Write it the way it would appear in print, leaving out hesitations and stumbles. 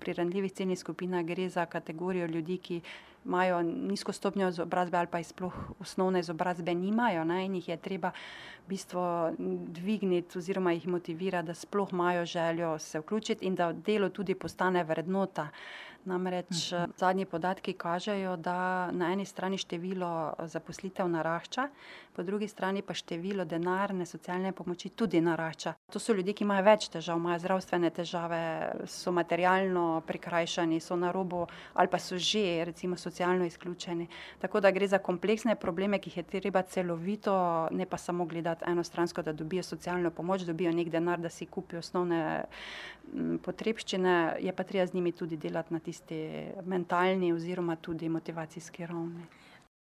pri ranljivih ciljnih skupinah gre za kategorijo ljudi, ki imajo nizko stopnjo izobrazbe ali pa sploh osnovne izobrazbe nimajo, ne, in jih je treba v bistvu dvigniti oziroma jih motivirati, da sploh imajo željo se vključiti in da delo tudi postane vrednota. Namreč zadnji podatki kažejo, da na eni strani število zaposlitev narašča, po drugi strani pa število denarne socialne pomoči tudi narašča. To so ljudje, ki imajo več težav, imajo zdravstvene težave, so materialno prikrajšani, so na robu ali pa so že recimo socialno izključeni. Tako da gre za kompleksne probleme, ki jih je treba celovito, ne pa samo gledati enostransko, da dobijo socialno pomoč, dobijo neki denar, da si kupijo osnovne potrebščine, je pa treba z njimi tudi delati na tisti mentalni oziroma tudi motivacijski ravni.